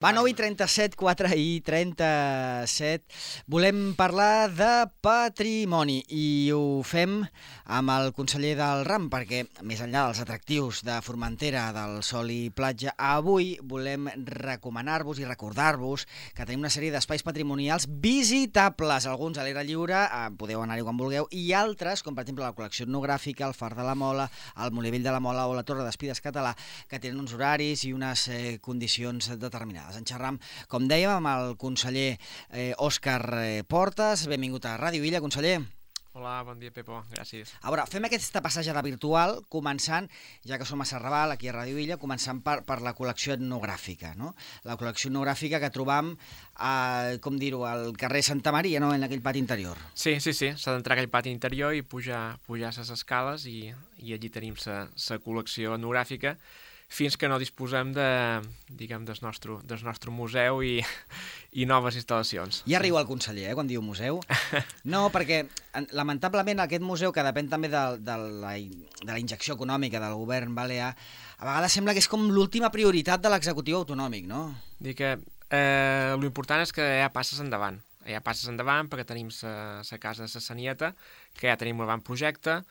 Va, 9:37, 4:37. Volem parlar de patrimoni i ho fem amb el conseller del RAM, perquè més enllà dels atractius de Formentera, del sol i platja, avui volem recomanar-vos i recordar-vos que tenim una sèrie d'espais patrimonials visitables, alguns a l'aire lliure, podeu anar-hi quan vulgueu, i altres, com per exemple la col·lecció etnogràfica, el Far de la Mola, el Molí Vell de la Mola o la Torre d'Espides Català, que tenen uns horaris i unes condicions determinades. En xerram, com dèiem, amb el conseller Òscar Portas. Benvingut a Ràdio Illa, conseller. Hola, bon dia, Pepo. Gràcies. A veure, fem aquesta passejada virtual, començant, ja que som a Serrabal, aquí a Ràdio Illa, començant per la col·lecció etnogràfica, no? La col·lecció etnogràfica que trobam, com dir-ho, al carrer Santa Maria, no?, en aquell pati interior. Sí, s'ha d'entrar a aquell pati interior i pujar les escales i allí tenim la col·lecció etnogràfica, fins que no disposem del nostre museu i noves instal·lacions. Ja riu el conseller, quan diu museu. No, perquè, lamentablement, aquest museu, que depèn també de la injecció econòmica del govern balear, a vegades sembla que és com l'última prioritat de l'executiu autonòmic, no? Dic que l'important és que ja passes endavant. Ja passes endavant perquè tenim la casa de la Sanieta, que ja tenim un avantprojecte,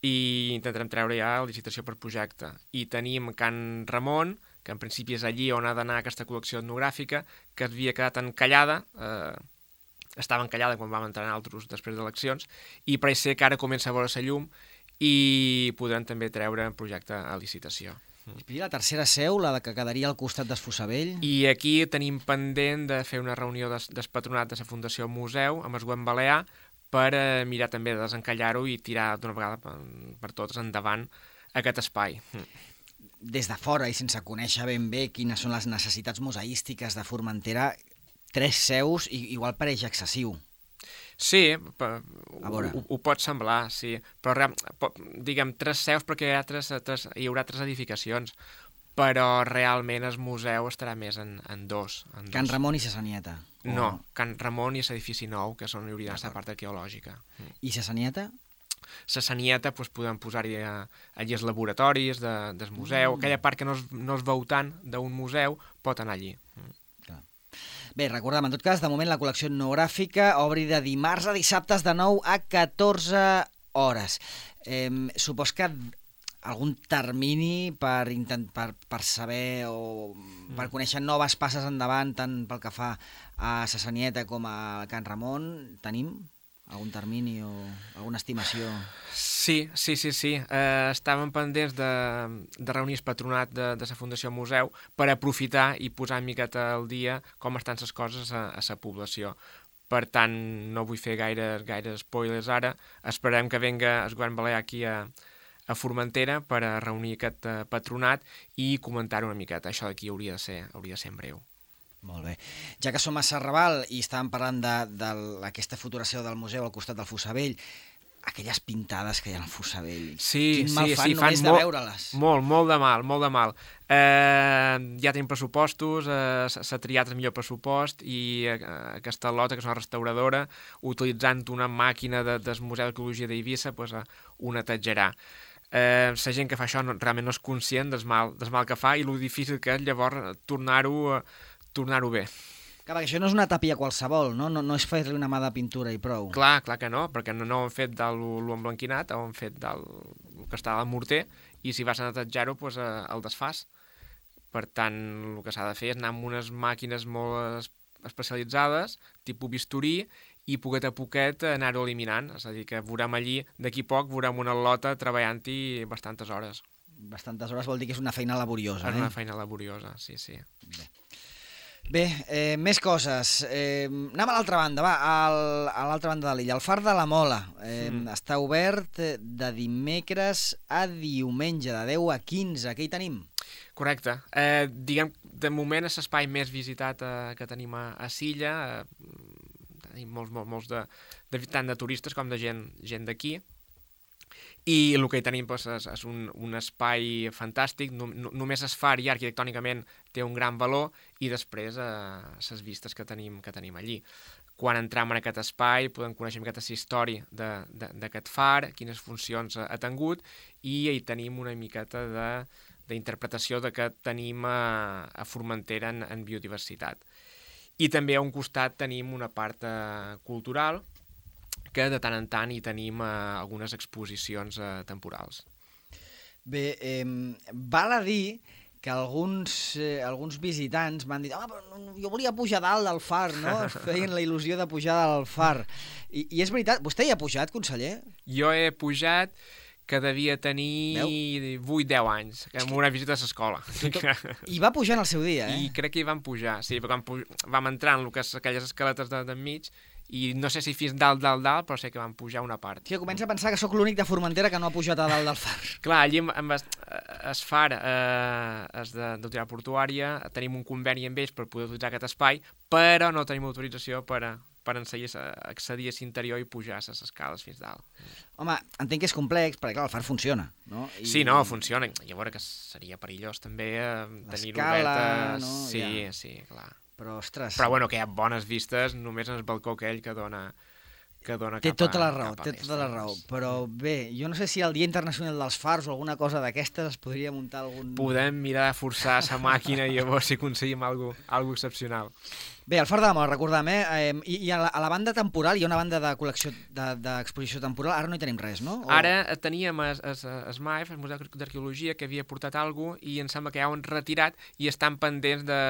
i intentarem treure ja la licitació per projecte. I tenim Can Ramon, que en principi és allí on ha d'anar aquesta col·lecció etnogràfica, que havia quedat encallada, estava encallada quan vam entrar nosaltres després d'eleccions, i pareix ser que ara comença a veure la llum i podrem també treure el projecte a licitació. I la tercera seu, la que quedaria al costat d'Esfossavell. I aquí tenim pendent de fer una reunió del patronat de la Fundació Museu amb el govern balear, per mirar també de desencallar-ho i tirar d'una vegada per totes endavant aquest espai. Des de fora i sense conèixer ben bé quines són les necessitats museístiques de Formentera, 3 seus igual pareix excessiu. Sí, ho pot semblar, sí. Però diguem 3 seus perquè hi haurà 3 edificacions, però realment el museu estarà més en 2. Can Ramon i sa Sanieta. No, Can Ramon i l'edifici nou, que és on hi hauria la part arqueològica. I sa Sanieta? La Sanieta podem posar-hi allí els laboratoris del museu, aquella part que no es veu tant d'un museu pot anar allí. Bé, recordem, en tot cas, de moment la col·lecció etnogràfica obri de dimarts a dissabtes de 9 a 14 hores. Supos que algun termini per saber o per conèixer noves passes endavant, tant pel que fa a sa Sanieta com a Can Ramon, tenim algun termini o alguna estimació? Sí. Estàvem pendents de reunir el patronat de la Fundació Museu per aprofitar i posar una miqueta al dia com estan les coses a la població. Per tant, no vull fer gaire spoilers ara. Esperem que venga el govern balear aquí a Formentera per a reunir aquest patronat i comentar-ho una miqueta. Això d'aquí hauria de ser en breu. Molt bé. Ja que som a Serrabal i estàvem parlant d'aquesta futura seu del museu al costat del Fossavell, aquelles pintades que hi ha al Fossavell, quin mal fan només de veure-les. Molt de mal. Ja tenim pressupostos, s'ha triat el millor pressupost i aquesta lota, que és una restauradora, utilitzant una màquina del Museu d'Arqueologia d'Eivissa, ho netejarà. La gent que fa això realment no és conscient del mal que fa i el difícil que és llavors tornar-ho bé. Clar, perquè això no és una tàpia qualsevol, no? No és fer-li una mà de pintura i prou. Clar que no, perquè no ho han fet de l'emblanquinat, ho han fet del que està al morter, i si vas a netejar-ho, el desfàs. Per tant, el que s'ha de fer és anar amb unes màquines molt especialitzades, tipus bisturí, i poquet a poquet anar-ho eliminant. És a dir, que veurem allí, d'aquí poc, veurem una lota treballant-hi bastantes hores. Bastantes hores vol dir que és una feina laboriosa, És una feina laboriosa, sí. Bé, més coses. Anem a l'altra banda, a l'altra banda de l'illa. El Far de la Mola està obert de dimecres a diumenge, de 10 a 15. Què hi tenim? Correcte. Diguem, de moment és l'espai més visitat que tenim a Silla. Tenim molts tant de turistes com de gent d'aquí. I el que hi tenim és un espai fantàstic, només es far ja arquitectònicament té un gran valor i després les vistes que tenim allí. Quan entrem en aquest espai podem conèixer aquesta història d'aquest far, quines funcions ha tingut, i hi tenim una miqueta d'interpretació de que tenim a Formentera en biodiversitat. I també a un costat tenim una part cultural, que de tant en tant hi tenim algunes exposicions temporals. Bé, val a dir que alguns visitants m'han dit jo volia pujar dalt del far, no? Feien la il·lusió de pujar del far. I és veritat, vostè hi ha pujat, conseller? Jo he pujat que devia tenir 8-10 anys, amb una visita a l'escola. I va pujar en el seu dia, I crec que hi vam pujar, sí, perquè vam entrar en aquelles escaletes d'enmig, i no sé si fins dalt, però sé que vam pujar una part. Sí, comença a pensar que sóc l'únic de Formentera que no ha pujat a dalt del far. Clar, allí amb el far és d'autoritat portuària, tenim un conveni amb ells per poder utilitzar aquest espai, però no tenim autorització per accedir a l'interior i pujar a les escales fins dalt. Home, entenc que és complex, perquè clar, el far funciona, no? Sí, no, funciona. I a veure que seria perillós també tenir-ho obert. No? Sí, clar. Però, ostres... Però bueno, que hi ha bones vistes només en el balcó aquell que dona té tota la raó, però bé, jo no sé si el Dia Internacional dels Fars o alguna cosa d'aquestes es podria muntar algun... Podem mirar de forçar la màquina i llavors si aconseguim alguna excepcional. Bé, el Far de la Mola, recordem, i a la banda temporal hi ha una banda de col·lecció d'exposició temporal, ara no hi tenim res, no? Ara teníem el MAEF, el Museu d'Arqueologia, que havia portat alguna cosa i em sembla que ja ho han retirat i estan pendents de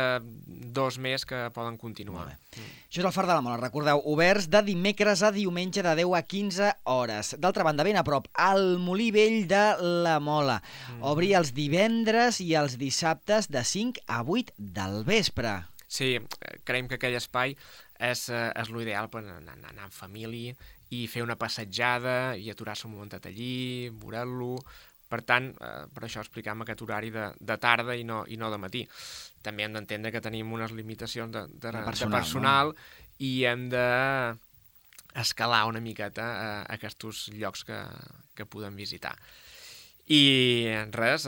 2 més que poden continuar. Això és el Far de la Mola, recordeu, oberts de dimecres a diumenge de 10 a 15 hores. D'altra banda, ben a prop, al Molí Vell de la Mola. Obri els divendres i els dissabtes de 5 a 8 del vespre. Sí, creiem que aquell espai és l'ideal per anar en família i fer una passejada i aturar-se un momentet allí, veure-lo. Per tant, per això explicam aquest horari de tarda i no de matí. També hem d'entendre que tenim unes limitacions de personal, no? I hem d'escalar una miqueta aquests llocs que podem visitar. I res,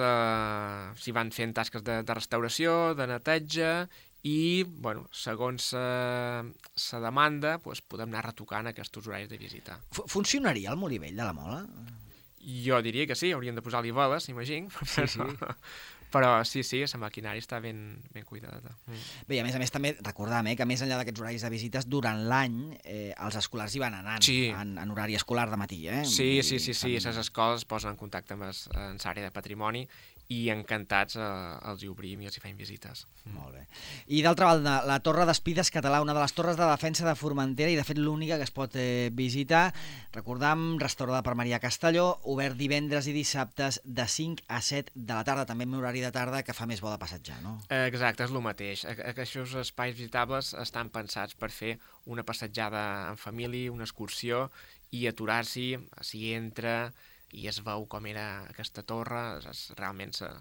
s'hi van fent tasques de restauració, de neteja i, bueno, segons la demanda, podem anar retocant aquests horaris de visita. Funcionaria el Molí Vell de la Mola? Jo diria que sí, hauríem de posar-li veles, imagino. Sí. Però sí, la maquinària està ben cuidada. Bé, a més també recordam que més enllà d'aquests horaris de visites, durant l'any els escolars hi van anant en horari escolar de matí. Sí, les escoles es posen en contacte amb l'àrea de patrimoni i encantats els hi obrim i els hi feim visites. Molt bé. I d'altra banda, la Torre d'Espides Català, una de les torres de defensa de Formentera i de fet l'única que es pot visitar. Recordam, restaurada per Maria Castelló, obert divendres i dissabtes de 5 a 7 de la tarda, també en horari de tarda que fa més bo de passejar, no? Exacte, és el mateix. Aquests espais visitables estan pensats per fer una passejada en família, una excursió i aturar-s'hi, s'hi entra i es veu com era aquesta torre, és realment la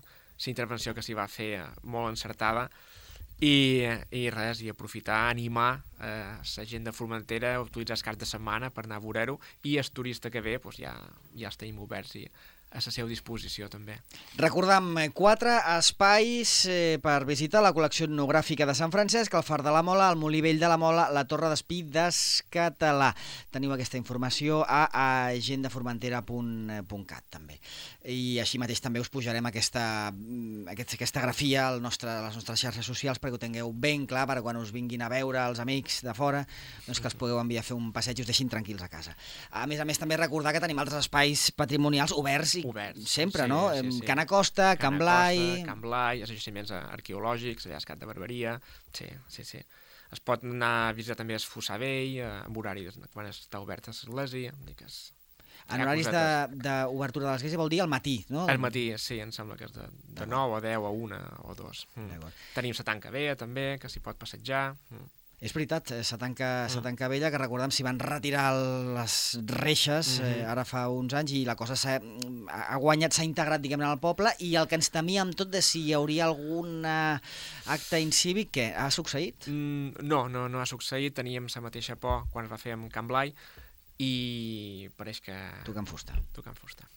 intervenció que s'hi va fer molt encertada i res, i aprofitar, animar la gent de Formentera a utilitzar els caps de setmana per anar a veure-ho i el turista que ve ja els tenim oberts i a la seva disposició també. Recordam 4 espais per visitar la col·lecció etnogràfica de Sant Francesc, el Far de la Mola, el Molí Vell de la Mola, la Torre d'Espides Català. Teniu aquesta informació a agendaformentera.cat també. I així mateix també us pujarem aquesta grafia a les nostres xarxes socials perquè ho tingueu ben clar per quan us vinguin a veure els amics de fora, doncs que els pugueu enviar a fer un passeig i us deixin tranquils a casa. A més també recordar que tenim altres espais patrimonials oberts sempre, no? Can Acosta, Can Blai... Can Blai, els jaciments arqueològics, allà Escat de Barberia... Sí. Es pot anar a visitar també el Fossar Vell, amb horari quan està oberta l'església... En horaris d'obertura de l'església vol dir al matí, no? Al matí, sí, em sembla que és de 9 a 10 a 1 o 2. Tenim la Tanca Vella també, que s'hi pot passejar... És veritat, la tanca vella, que recordem s'hi van retirar les reixes ara fa uns anys i la cosa s'ha guanyat, s'ha integrat, diguem-ne, al poble i el que ens temíem tot de si hi hauria algun acte incívic, què? Ha succeït? No ha succeït, teníem la mateixa por quan es va fer amb Can Blai i pareix que... Tocant fusta,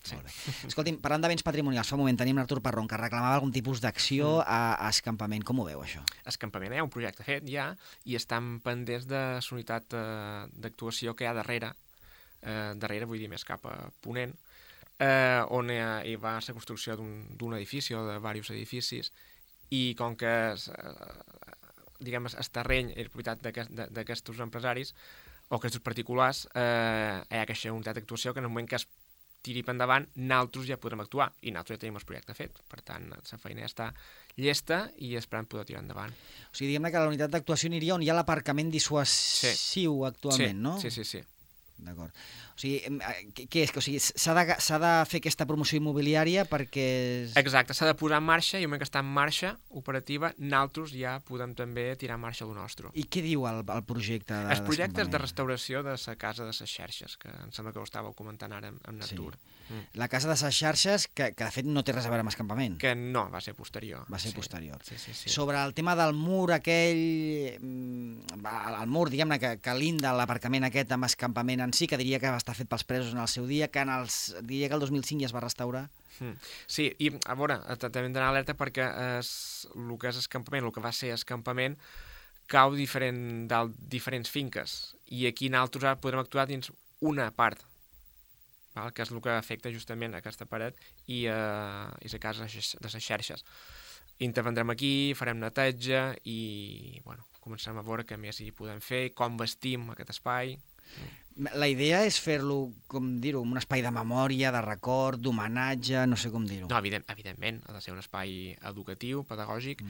sí. Molt bé. Escolti'm, parlant de béns patrimonials, fa un moment tenim l'Artur Parron, que reclamava algun tipus d'acció a escampament. Com ho veu, això? Escampament, hi ha un projecte fet ja i estan pendents de la unitat d'actuació que hi ha darrere, vull dir més cap a Ponent, on hi va ser construcció d'un edifici o de diversos edificis, i com que diguem, el terreny és propietat d'aquests empresaris o aquests particulars, hi ha aquesta unitat d'actuació que en el moment que es tiri per endavant, nosaltres ja podrem actuar, i nosaltres ja tenim el projecte fet. Per tant, la feina ja està llesta i esperant poder tirar endavant. O sigui, diguem-ne que la unitat d'actuació aniria on hi ha l'aparcament dissuasiu actualment, no? Sí. D'acord. O sigui, què és? O sigui, s'ha de fer aquesta promoció immobiliària perquè... Exacte, s'ha de posar en marxa, i el moment que està en marxa operativa, nosaltres ja podem també tirar en marxa el nostre. I què diu el projecte d'escampament? El projecte és de restauració de la casa de les xarxes, que em sembla que ho estàveu comentant ara amb Natur. Sí. La casa de les xarxes, que de fet no té res a veure amb escampament. Que no, va ser posterior. Va ser posterior. Sí. Sobre el tema del mur aquell, el mur, diguem-ne, que linda l'aparcament aquest amb escampament en si, que diria que va estar fet pels presos en el seu dia, diria que el 2005 ja es va restaurar. Sí, i a veure, també hem d'anar alerta perquè el que és escampament, el que va ser escampament, cau de diferents finques, i aquí nosaltres ara podrem actuar dins una part, que és el que afecta justament aquesta paret i la casa de les xarxes. Intervendrem aquí, farem neteja i començarem a veure què més hi podem fer, com vestim aquest espai. La idea és fer-lo, com dir-ho, un espai de memòria, de record, d'homenatge, no sé com dir-ho. No, evidentment, ha de ser un espai educatiu, pedagògic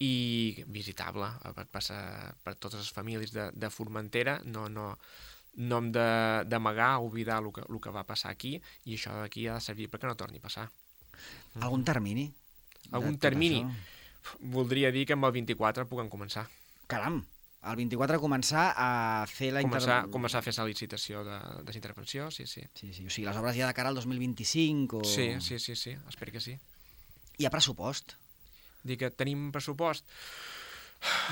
i visitable per totes les famílies de Formentera. No hem d'amagar o oblidar el que va passar aquí, i això d'aquí ha de servir perquè no torni a passar. Algun termini? Algun termini? Voldria dir que amb el 24 puguem començar. Caram! El 24 començar a fer la intervenció... Començar a fer la licitació de la intervenció, sí. Sí, o sigui, les obres ja de cara al 2025 o... Sí, espero que sí. Hi ha pressupost? Dic que tenim pressupost.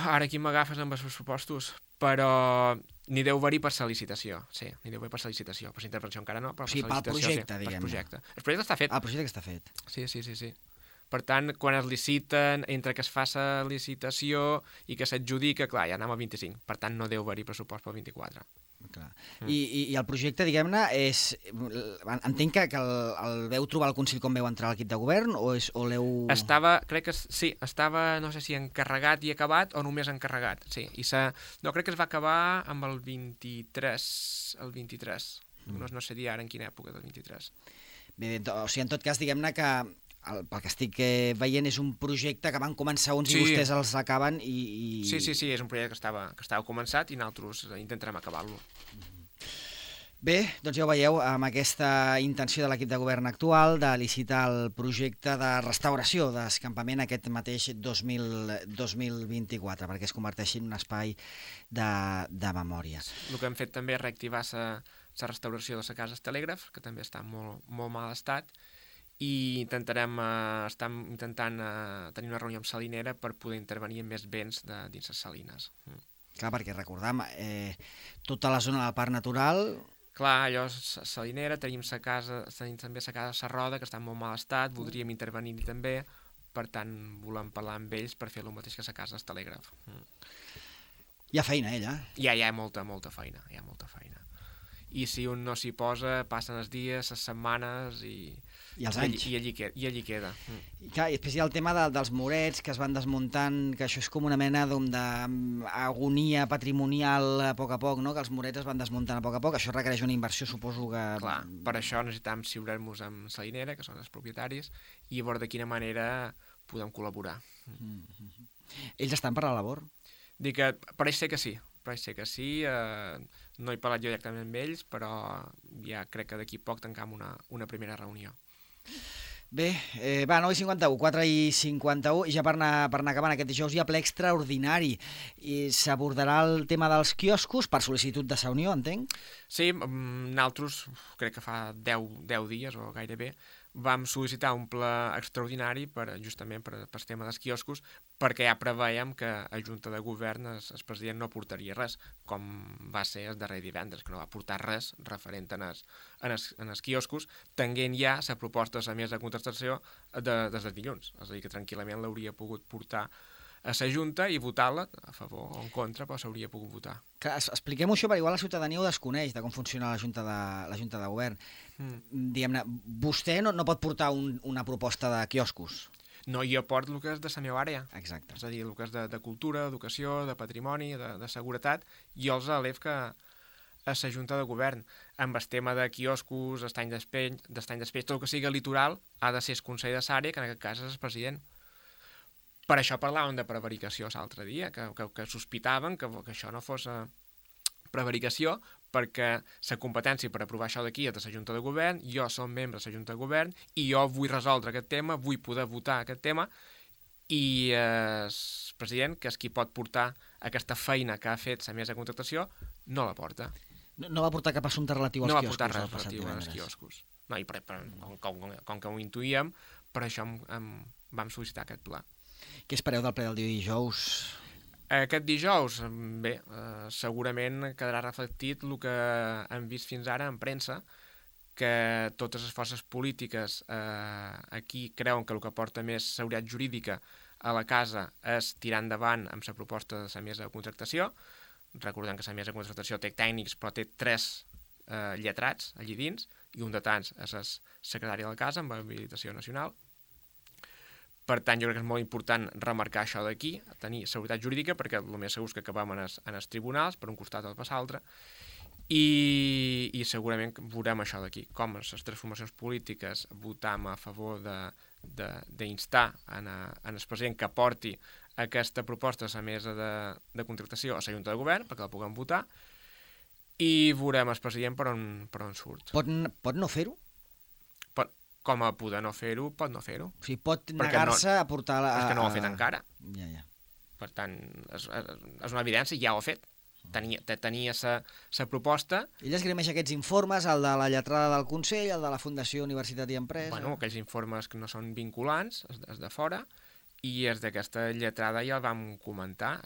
Ara aquí m'agafes amb els pressupostos, però n'hi deu haver-hi per la licitació, sí, n'hi deu haver per la licitació, per la intervenció encara no, però per la licitació, projecte, diguem-ne. El projecte està fet. El projecte està fet. Sí. Per tant, quan es liciten, entre que es fa la licitació i que s'adjudica, clar, ja anem al 25. Per tant, no deu haver-hi pressupost pel 24. Clar. I el projecte, diguem-ne, és... Entenc que el veu trobar al Consell com veu entrar a l'equip de govern o l'heu... Crec que sí, estava, no sé si encarregat i acabat o només encarregat, sí. No, crec que es va acabar amb el 23. No sé dir ara en quina època del 23. Bé, o sigui, en tot cas, diguem-ne que pel que estic veient és un projecte que van començar uns i vostès els acaben i... Sí, és un projecte que estava començat i nosaltres intentarem acabar-lo. Bé, doncs ja ho veieu, amb aquesta intenció de l'equip de govern actual de licitar el projecte de restauració d'escampament aquest mateix 2024, perquè es converteixi en un espai de memòria. El que hem fet també és reactivar la restauració de la casa Telègraf, que també està en molt mal estat, i estem intentant tenir una reunió amb Salinera per poder intervenir en més béns dins les salines. Clar, perquè recordam, tota la zona del parc natural... Clar, allò és Salinera, tenim també la casa Sarroda, que està en molt mal estat, voldríem intervenir-hi també, per tant, volem parlar amb ells per fer el mateix que la casa del Telègraf. Hi ha feina, ella? Hi ha molta feina, I si un no s'hi posa, passen els dies, les setmanes i els anys. I allí queda. I clar, i després hi ha el tema dels murets que es van desmuntant, que això és com una mena d'agonia patrimonial a poc, no? Que els murets es van desmuntant a poc. Això requereix una inversió, suposo que... Clar, per això necessitem siurar-nos amb Salinera, que són els propietaris, i veure de quina manera podem col·laborar. Ells estan per la labor? Dic que pareix ser que sí. No he parlat jo directament amb ells, però ja crec que d'aquí poc tancam una primera reunió. Bé, 9:51, 4:51, i ja per anar acabant aquest dijous hi ha ple extraordinari. I s'abordarà el tema dels quioscos per sol·licitud de la Unió, entenc? Sí, nosaltres, crec que fa 10 dies o gairebé, vam sol·licitar un ple extraordinari justament per el tema dels quioscos, perquè ja preveiem que a Junta de Govern el president no portaria res, com va ser el darrer divendres, que no va portar res referent en els quioscos, tenint ja la proposta de la mesa de contestació des del dilluns. És a dir, que tranquil·lament l'hauria pogut portar a la Junta i votar-la a favor o en contra, però s'hauria pogut votar. Clar, expliquem-ho això, perquè igual la ciutadania ho desconeix, de com funciona la Junta de Govern. Diguem-ne, vostè no pot portar una proposta de quioscos. No, jo porto el que és de la meva àrea. Exacte. És a dir, el que és de cultura, educació, de patrimoni, de seguretat, jo els elef que a la Junta de Govern, amb el tema de quioscos, estany d'espeix, tot el que sigui litoral, ha de ser el Consell de l'àrea, que en aquest cas és el president. Per això parlàvem de prevaricació l'altre dia, que sospitaven que això no fos prevaricació, perquè la competència per aprovar això d'aquí és de la Junta de Govern, jo som membre de la Junta de Govern i jo vull resoldre aquest tema, vull poder votar aquest tema, i el president, que és qui pot portar aquesta feina que ha fet la mesa de contractació, no la porta. No va portar cap assumpte relatiu als quioscos. No va portar res relatiu als quioscos. No, i com que ho intuïem, per això vam sol·licitar aquest pla. Què espereu del ple del dijous? Aquest dijous, bé, segurament quedarà reflectit el que hem vist fins ara en premsa, que totes les forces polítiques aquí creuen que el que porta més seguretat jurídica a la casa és tirar endavant amb la proposta de la mesa de contractació. Recordem que la mesa de contractació té tècnics, però té 3 lletrats allí dins, i un de tants és el secretari de la casa amb habilitació nacional. Per tant, jo crec que és molt important remarcar això d'aquí, tenir seguretat jurídica, perquè el més segur és que acabem en els tribunals, per un costat o per l'altre, i segurament veurem això d'aquí, com les transformacions polítiques votam a favor d'instar en el president que porti aquesta proposta a la mesa de contractació a la Junta de Govern, perquè la puguem votar, i veurem el president per on surt. Pot no fer-ho? Com a poder no fer-ho, pot no fer-ho. O sigui, pot negar-se a portar... És que no ho ha fet encara. Ja. Per tant, és una evidència, ja ho ha fet. Tenia la proposta... Ell esgrimeix aquests informes, el de la lletrada del Consell, el de la Fundació Universitat i Empresa... Bueno, aquells informes que no són vinculants, és de fora, i és d'aquesta lletrada ja el vam comentar.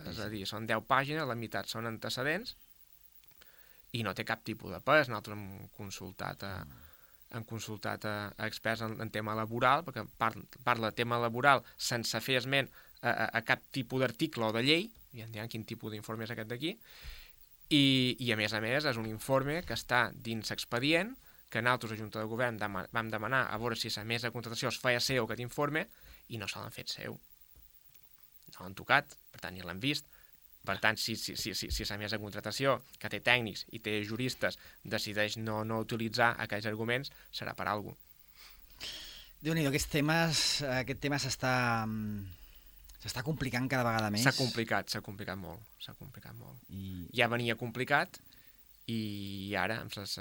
És a dir, són 10 pàgines, la meitat són antecedents, i no té cap tipus de pes. Nosaltres hem consultat a experts en tema laboral, perquè parla de tema laboral sense fer esment a cap tipus d'article o de llei, ja en diran quin tipus d'informe és aquest d'aquí, i a més és un informe que està dins l'expedient, que nosaltres a Junta de Govern vam demanar a veure si la mesa de contractació es feia seu aquest informe, i no se l'han fet seu. No l'han tocat, per tant ni l'han vist. Per tant, si la mesa de contractació, que té tècnics i té juristes, decideix no utilitzar aquells arguments, serà per alguna cosa. Déu-n'hi-do, aquest tema s'està complicant cada vegada més. S'ha complicat molt. Ja venia complicat, i ara, amb les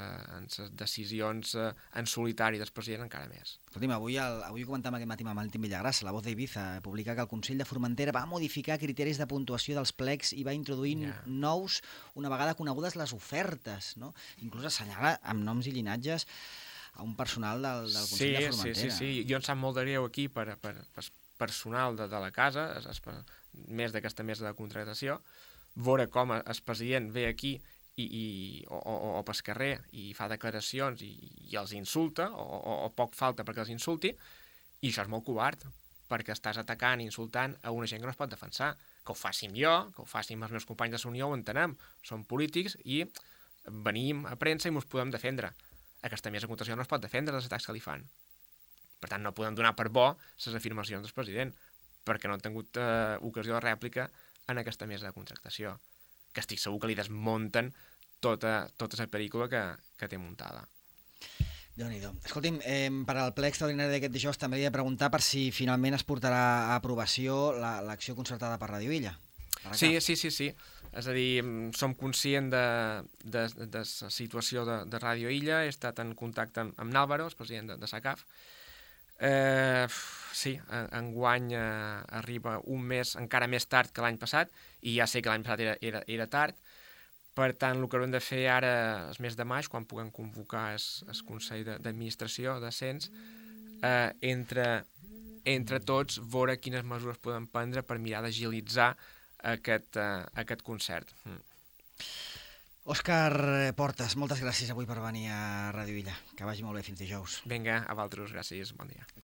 decisions en solitari del president, encara més. Escolti'm, avui ho comentàvem aquest matí amb Valentín Villagrasa, La Voz d'Ibiza, publica que el Consell de Formentera va modificar criteris de puntuació dels plecs i va introduir nous, una vegada conegudes les ofertes, no? Inclús assenyala amb noms i llinatges a un personal del Consell de Formentera. Sí. Jo em sap molt de greu aquí per personal de la casa, més d'aquesta mesa de contractació, veure com el president ve aquí o pel carrer i fa declaracions i els insulta, o poc falta perquè els insulti, i això és molt covard, perquè estàs atacant i insultant a una gent que no es pot defensar. Que ho fàssim jo, que ho fàssim els meus companys de la Unió, ho entenem. Som polítics i venim a premsa i ens podem defendre. Aquesta mesa de contractació no es pot defendre dels atacs que li fan. Per tant, no podem donar per bo les afirmacions del president, perquè no han tingut ocasió de rèplica en aquesta mesa de contractació, que estic segur que li desmunten tota la pel·lícula que té muntada. Déu-n'hi-do. Escolti'm, per al ple extraordinari d'aquest dijous també he de preguntar per si finalment es portarà a aprovació l'acció concertada per Radio Illa. Sí. És a dir, som conscients de la situació de Radio Illa, he estat en contacte amb Nàlvaro, el president de SACAF. Sí, enguany arriba un mes encara més tard que l'any passat, i ja sé que l'any passat era tard. Per tant, el que haurem de fer ara, el mes de maig, quan puguem convocar el Consell d'Administració de Cens, entre tots, veure quines mesures podem prendre per mirar d'agilitzar aquest concert. Òscar Portes, moltes gràcies avui per venir a Ràdio Illa. Que vagi molt bé fins dijous. Vinga, a vosaltres, gràcies, bon dia.